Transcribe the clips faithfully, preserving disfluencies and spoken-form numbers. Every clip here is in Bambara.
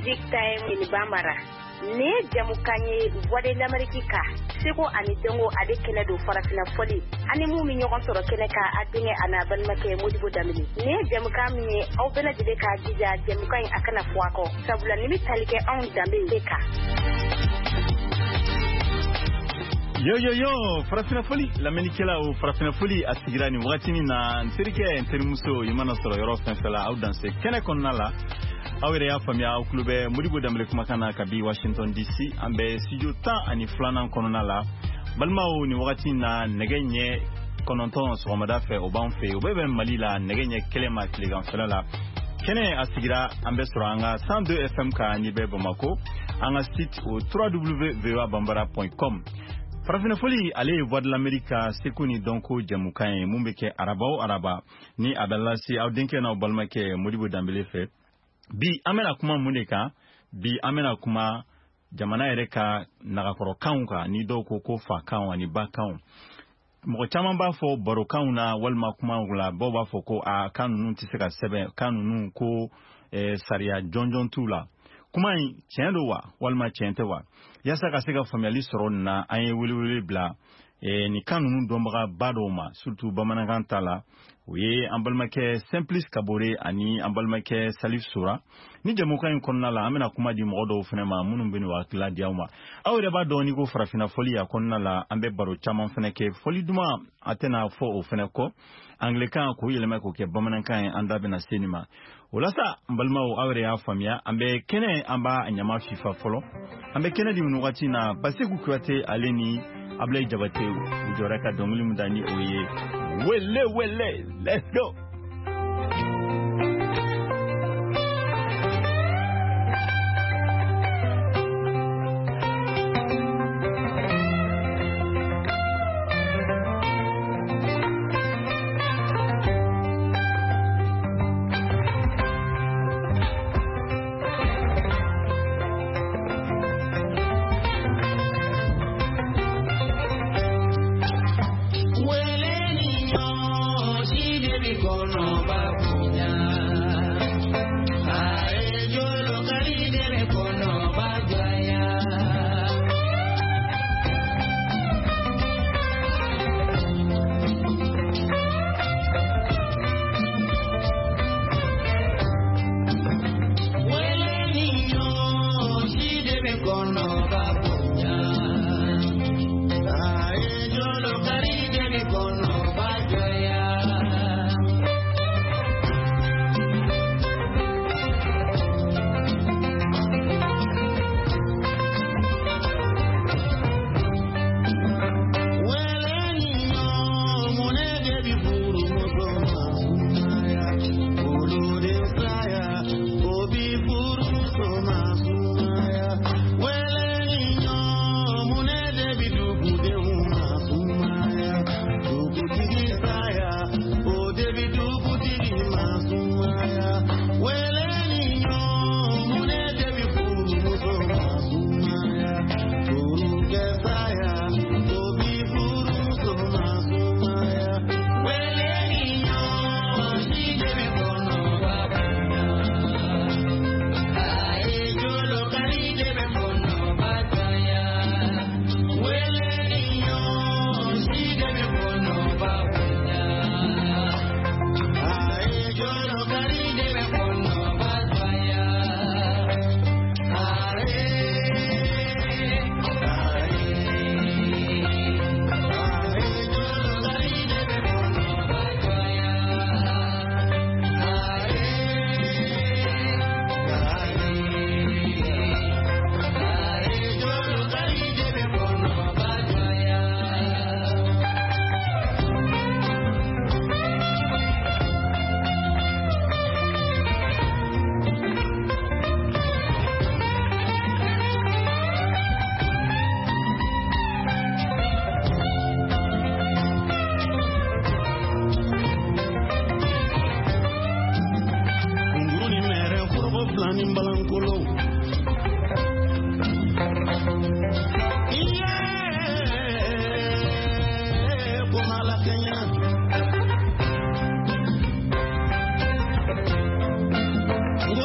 Music Time in Bambara. Nin ye jamukan ye Voix de l'Amérique kan seko ani dɔnko ale kɛnɛ don farafinna fɔli ani mun bɛ ɲɔgɔn sɔrɔ kɛnɛ kan a denkɛ a n'a balimakɛ Modibo Danbele. Nin ye jamukan min ye aw bɛɛ lajɛlen k'a jija jamukan in a kana fɔ a kɔ sabula nin bɛ tali kɛ anw danbe de kan. Yo yo yo farafinna fɔli lamɛnnikɛlaw farafinna fɔli a sigira nin wagatinin na n terikɛ n terimuso i mana sɔrɔ yɔrɔ fɛn fɛn la aw danse kɛnɛ kɔnɔna la aw yɛrɛ y'a faamuya aw tulo bɛ Modibo Danbele kumakan na kabi Washington D C an bɛ studio tan ani filanan kɔnɔna la balimaw nin wagati in na nɛgɛ ɲɛ kɔnɔntɔn sɔgɔmada fɛ o b'an fɛ o bɛɛ bɛ Mali la nɛgɛ ɲɛ kelen ma tileganfɛla la kɛnɛ a sigira an bɛ sɔrɔ an ka cent deux F M kan n'i bɛ Bamako an ka site o w w w point voa bambara point com. Farafinna fɔli ale ye Voix de l'Amérique ka seko ni dɔnko jɛmukan ye mun bɛ kɛ araba o araba ni a bɛ lase aw denkɛ n'aw balimakɛ Modibo Danbele fɛ. Bi an bɛna kuma mun de kan? Bi an bɛna kuma jamana yɛrɛ ka nagakɔrɔkanw kan ni dɔw ko ko fakanw ani bakanw. Mɔgɔ caman b'a fɔ barokanw na walima kumaw la dɔw b'a fɔ ko a kan ninnu tɛ se ka sɛbɛn kan ninnu ko eh, sariya jɔnjɔn t'u la. Kuma in tiɲɛ don wa walima tiɲɛ tɛ wa? Yaasa ka se ka faamuyali sɔrɔ nin na an ye welewele bila eh, nin kan ninnu dɔnbagaba dɔw ma surtout bamanankan ta la o ye an balimakɛ Simplice Kabore ani an balimakɛ Salif Sora. Ni jamukan in kɔnɔna la an bɛna kuma di mɔgɔ dɔw fana ma minnu bɛ n'u hakilila di aw ma. Aw yɛrɛ b'a dɔn n'i ko farafinna fɔli a kɔnɔna la an bɛ baro caman fana kɛ fɔli duman a tɛna fɔ o fana kɔ anglais-kan k'o yɛlɛma k'o kɛ bamanankan ye an da bɛna se nin ma. O la sa n balimaw aw yɛrɛ y'a faamuya an bɛ kɛnɛ an b'a ɲama fifa fɔlɔ an bɛ kɛnɛ di nin wagati in na Baseku Kuyate ale ni Ablaye Jabate u jɔra ka dɔnkili min da ni o ye wele wele let's go.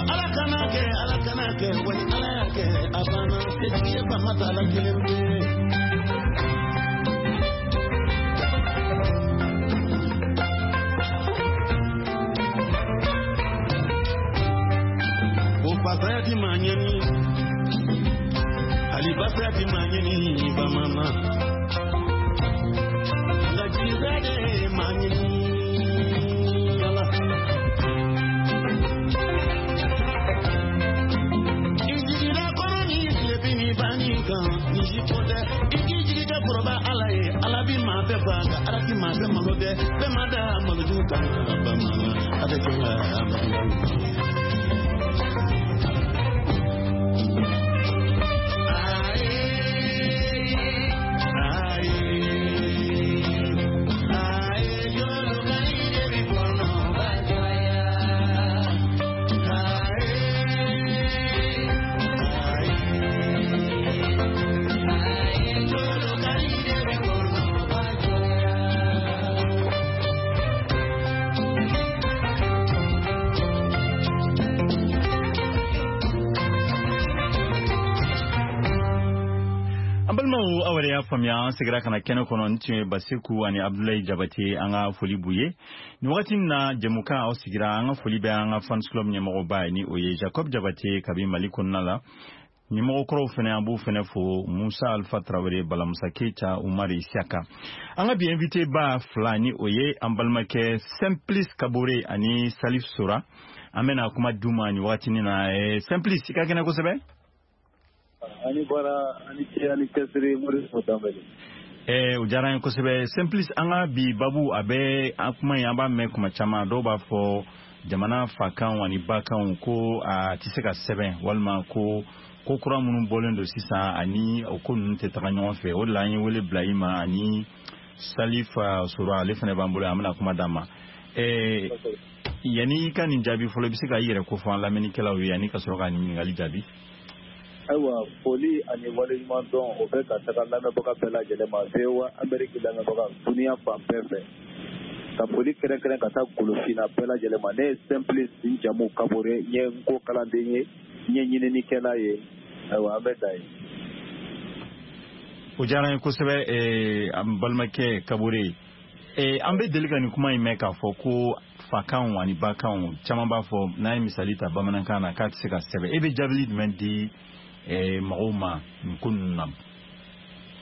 Ala kana kɛ ala kana kɛ. Matala kelen pe. O fasaya ti maa ɲɛni, hali basaya ti maa ɲɛni bamanan. Nka jigisaya de ye maa ɲɛni. Ala. I jigila kɔrɔ ni tilebin ni banni kan, ni si ko tɛ. I k'i jigi kɛ kɔrɔba Ala ye, Ala bi maa bɛɛ fa, nka Ala ti maa bɛɛ malo dɛ. Bɛɛ ma da malojugu kan bamanan, a bɛ kɛ ka maloya. Faamuya an seginna ka na kɛnɛ kɔnɔ. Ni tun ye Baseku ani Abdulayi Jabate, an ka foli b'u ye nin wagati in na. Jɛmukan aw sigira, an ka foli bɛ an ka fans club ɲɛmɔgɔba ye, ni o ye Jacob Jabate kabi Mali kɔnɔna la. Ɲɛmɔgɔkɔrɔw fɛnɛ, an b'u fɛnɛ fo, Musa Alpha Tarawele, Balamusa Keita, Umar Isiaka. An ka bi invité ba fila, ni o ye an balimakɛ Simplice Kabore ani Salif Sora, an bɛna kuma d'u ma nin wagatinin na. Simplice, i ka kɛnɛ kosɛbɛ. Ani bɔra ani cɛ ani cɛsiri Modibo Danbele. Eh, o diyara n ye kosɛbɛ. Simplice, an ka bi babu a bɛ an kuma in, an b'a mɛn kuma caman, dɔw b'a fɔ jamana fakanw ani bakanw ko a tɛ se ka sɛbɛn, walima ko ko kura minnu bɔlen don sisan ani o ko ninnu tɛ taga ɲɔgɔn fɛ. O de la an ye wele bila i ma ani Salif Sora, ale fana b'an bolo, an bɛna kuma d'a ma. Eh, yanni i ka nin jaabi fɔlɔ, i bɛ se ka i yɛrɛ kofɔ an lamɛnnikɛlaw ye ani ka sɔrɔ ka nin ɲininkali jaabi. Ayiwa, foli ani waleɲuman dɔn o bɛ ka taga lamɛnbaga bɛɛ lajɛlen ma, V O A Amérique lamɛnbaga dunuya fan bɛɛ fɛ. Ka foli kɛrɛnkɛrɛn ka taa Golofinna bɛɛ lajɛlen ma. Ne ye Simplice n jamu Kabore, n ye n ko kalanden ye, n ye ɲininikɛla ye. Ayiwa, an bɛ dan ye. O diyara n ye kosɛbɛ, an balimakɛ Kabore. An bɛ deli ka nin kuma in mɛn k'a fɔ ko fakanw ani bakanw, caman b'a fɔ n'an ye misali ta bamanankan na k'a tɛ se ka sɛbɛn. E bɛ jaabili jumɛn di mɔgɔw ma nin ko ninnu na?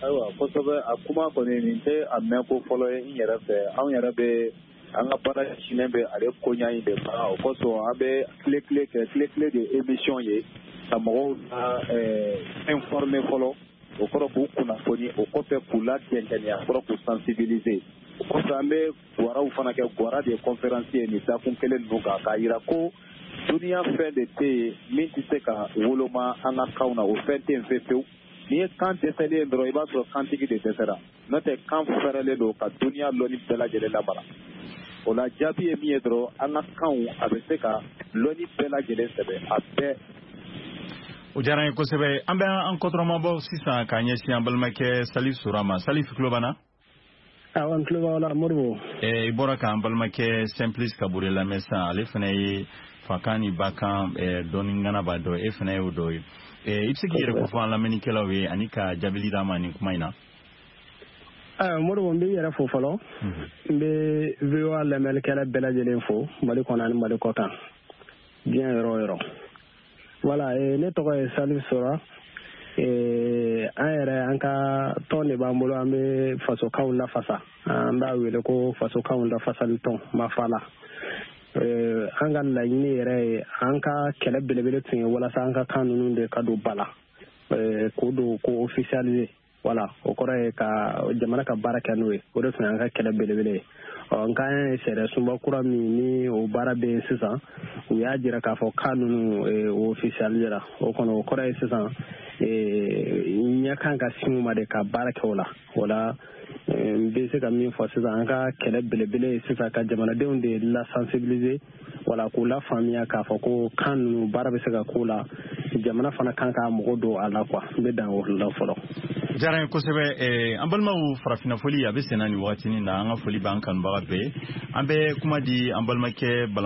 Ayiwa, kosɛbɛ. A kuma kɔni nin tɛ a mɛn ko fɔlɔ ye n yɛrɛ fɛ. Anw yɛrɛ bɛ an ka baara sinnen bɛ ale koɲa in de ma. O kosɔn an bɛ tile tile kɛ, tile tile de émission ye ka mɔgɔw la informer fɔlɔ, o kɔrɔ k'u kunnafoni, o kɔfɛ k'u ladɛnkɛnɛya, kɔrɔ k'u sensibiliser. O kɔfɛ an bɛ gwaraw fana kɛ, gwara de ye conférence ye nin dakun kelen ninnu kan, k'a yira ko duniya fɛn de tɛ yen min tɛ se ka woloma an ka kanw na, o fɛn tɛ yen fewu fewu. N'i ye kan dɛsɛlen ye dɔrɔn, i b'a sɔrɔ kantigi de dɛsɛra, n'o tɛ kan fɛrɛlen don ka duniya lɔnni bɛɛ lajɛlen lamara. O la jaabi ye min ye dɔrɔn, an ka kanw a bɛ se ka lɔnni bɛɛ lajɛlen sɛbɛn a bɛɛ. O diyara n ye kosɛbɛ. An bɛ an kɔtɔrɔmabɔ sisan k'a ɲɛsin an balimakɛ Salif Sora ma. Salif, tulo b'an na? Awɔ, n tulo b'aw la Modibo. I bɔra k'an balimakɛ Simplice Kabore lamɛn sisan, ale fana ye fakan ni bakan dɔɔni ŋana b'a dɔn, e fana y'o dɔ ye. I bɛ se k'i yɛrɛ kofɔ an lamɛnnikɛlaw ye ani ka jaabili d'a ma nin kuma in na? Ayiwa Modibo, n b'i yɛrɛ fo fɔlɔ. N bɛ V O A lamɛnnikɛla bɛɛ lajɛlen fo Mali kɔnɔ ani Mali kɔ kan, diɲɛ yɔrɔ o yɔrɔ. Voilà, ne tɔgɔ ye Salif Sora. An yɛrɛ an ka tɔn de b'an bolo, an bɛ fasokanw lafasa, an b'a wele ko fasokanw lafasali tɔn Mafala. An ka laɲini yɛrɛ ye, an ka kɛlɛ belebele tun ye walasa an ka kan ninnu de ka don ba la, k'o don ko officialiser. Voilà, o kɔrɔ ye ka jamana ka baara kɛ n'o ye, o de tun y'an ka kɛlɛ belebele ye. Ɔ nka an ye sariya sunba kura min ni o baara bɛ yen sisan, u y'a jira k'a fɔ kan ninnu o officialisera. O kɔnɔ o kɔrɔ ye sisan ɲɛ kan ka sin u ma de ka baara kɛ o la. O la n bɛ se ka min fɔ sisan, an ka kɛlɛ belebele ye sisan ka jamanadenw de la sensibiliser, wala k'u la faamuya k'a fɔ ko kan ninnu baara bɛ se ka k'o la, jamana fana kan k'a mɔgɔ don a la quoi. N bɛ dan o la fɔlɔ. Diyara n ye kosɛbɛ. An balimaw, farafinna foli a bɛ senna nin wagatinin na. An ka foli b'an kanubaga bɛɛ ye. An bɛ kuma di an balimakɛ Bala